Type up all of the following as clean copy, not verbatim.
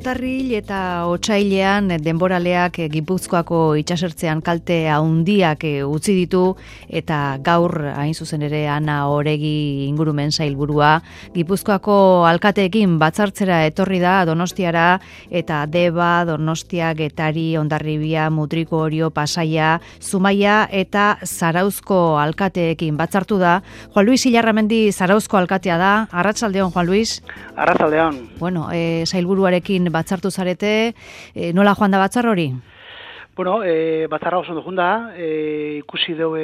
Urtarril eta otsailean denboraleak Gipuzkoako itsasertzean kalte handiak utzi ditu eta gaur hain zuzen ere Ana Oregi ingurumen sailburua Gipuzkoako alkateekin batzartzera etorri da Donostiara eta Deba, Donostia, Getari, Hondarribia, Mutriko, Orio, Pasaia, Zumaia eta Zarauzko alkateekin batzartu da. Juan Luis Ilarramendi Zarauzko alkatea da. Arratsaldeon, Juan Luis. Arratsaldeon. Bueno, sailburuarekin batzartu zarete, nola joan da batzar hori? Bueno, batzarra oso joan da, ikusi dugu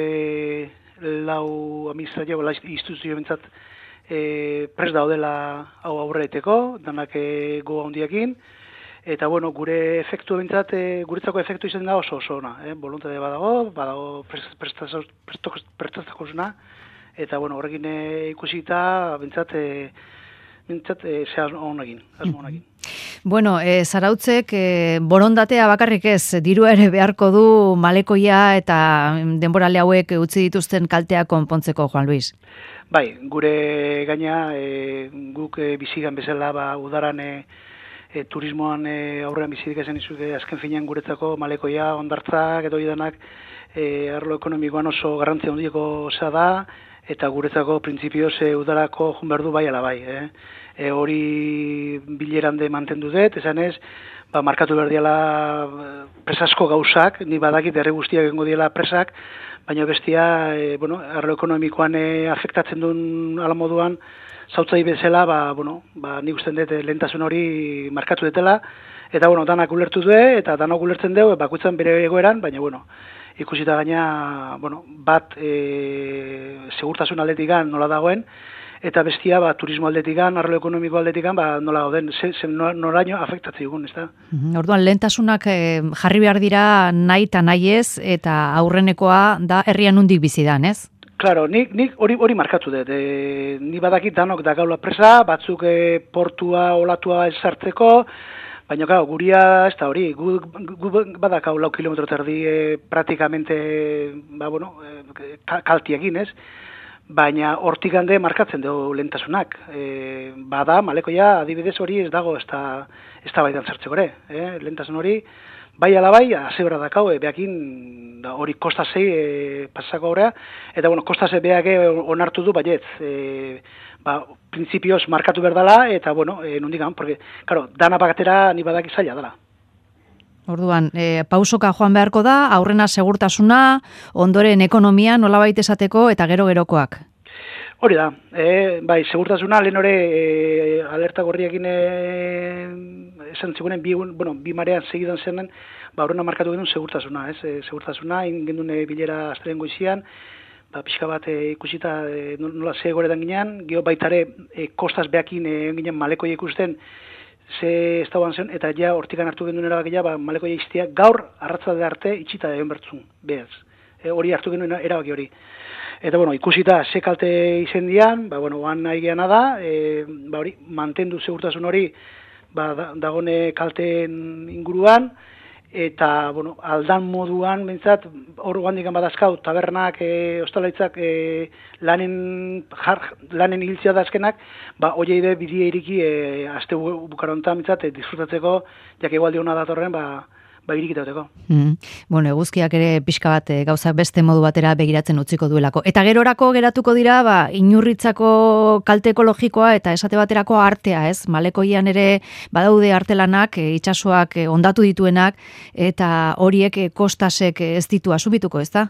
lau administrazio, instituzio bentsat prest daudela hau aurreiteko, danak goa handiakin, eta bueno, gure efektu bentsat, guretzako efektu izan da oso ona, voluntade badago prestatzakosuna, eta bueno, horrekin ikusita bentsat asmo honekin. Bueno, Zarautzek borondatea bakarrik ez, dirua ere beharko du malekoia eta denborale hauek utzi dituzten kalteak konpontzeko, Juan Luis. Bai, gure gaina guk bizigan bezala udaran turismoan aurrean bizirik esan izuke azken finean guretzako malekoia, hondartzak edo idanak arlo ekonomikoan oso garrantzia handieko da, eta guretzako printzipioz udarako joan behar du bai ala bai. Hori bilerande mantendu dut, esan ez, markatu behar diala presasko gauzak, ni badakit herri guztiak egingo diela presak, baina bestia, arlo ekonomikoan afektatzen duen ala moduan, zautzai bezala, nik usten dut lehentasun hori markatu dutela, eta danak ulertu du, eta danak ulertzen dugu, bakutzen bere egoeran, baina ikusita gaina, bat segurtasun aldetikan nola dagoen, eta bestia turismo aldetikan, arlo ekonomiko aldetikan, nola gauden, noraino afektatzen dugun, ez da? Orduan, lehentasunak jarri behar dira nahi eta nahi ez, eta aurrenekoa da herrian nondik bizi dan, ez? Claro, nik hori markatu dut. Ni badakit danok da gaula presa, batzuk portua, olatua ezartzeko, baina, guria ez da hori, gu badakau 4 kilometro terdi praktikamente, kaltiegin, ez? Baina hortik hande markatzen dugu lehentasunak. Bada, malekoia, adibidez hori ez dago ez da baitan zertzeko ere. Lehentasun hori, bai ala bai, azebra dakau, behakin hori kostasei pasako horrea, eta kostase behak onartu du baietz. Printzipioz markatu berdala, eta nondik gan, porque, dana bakatera ni badaki zaila dela. Orduan, pausoka joan beharko da, aurrena segurtasuna, ondoren ekonomia nolabait esateko eta gero-gerokoak. Hori da, segurtasuna lehen hori alerta gorriakin esan zigunen bi marean segidan zenen, aurrena markatu genuen segurtasuna, segurtasuna, ingendun bilera asteren goizian, pixka bat ikusita nola ze goretan ginean, geho baitare kostaz behakin ginen malekoia ikusten, ze ez dauan zen, eta ja hortikan hartu genuen erabakia, malekoia iztia gaur arratzalde arte itxita egon bertzun, behaz. Hori hartu genuen erabaki hori. Eta ikusita ze kalte izen dian, oan nahi geana da, hori, mantendu segurtasun hori, dagone kalteen inguruan, eta, aldan moduan, bentsat, hor guandikan badazkau, tabernak, ostalaitzak, lanen hiltzea dazkenak, oieide bidea iriki, azte bukarontan, bentsat, disfrutatzeko, jak egualdi hona datorren, irikitauteko. Eguzkiak ere pixka bat gauzak beste modu batera begiratzen utziko duelako. Eta gerorako geratuko dira, inurritzako kalte ekologikoa eta esate baterako artea, ez? Malekoian ere badaude artelanak, itsasoak ondatu dituenak, eta horiek kostasek ez ditu asubituko, ez da?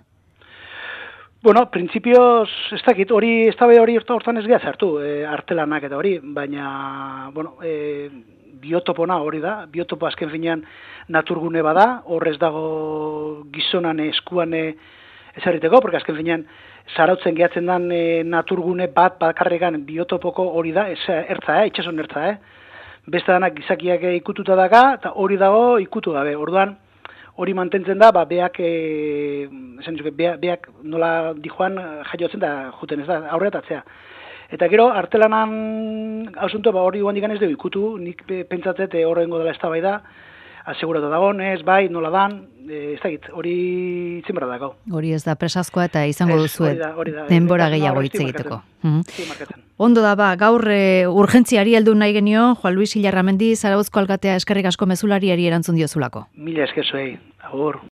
Printzipioz, ez dakit, hori, ez da hori hortan ez geha zartu, artelanak eta hori, baina, biotopona hori da, biotopo azken finean naturgune bada, horrez dago gizonan eskuan ezarriteko, porque azken finean Zarautzen gehatzen den naturgune bat bakarregan biotopoko hori da, ertza, itxason ertza, Beste danak gizakiak ikututa daga, eta hori dago ikutu gabe, orduan hori mantentzen da, beak nola dijoan jaiotzen da juten, ez da, aurretatzea. Eta gero, artelanan hausuntu hori guandikan ez dugu ikutu, nik pentsatzet horrengo dela eztabaida, aseguratu dagoen, ez, bai, nola dan, ez dakit, hori itzin berda dago. Hori ez da presazkoa eta izango duzu denbora gehiago hitz egiteko. Ondo da, gaur urgentziari heldu nahi genio, Juan Luis Ilarramendi, Zarauzko alkatea eskerrik asko mezulariari erantzun diozulako. Mila esker zuei, agur.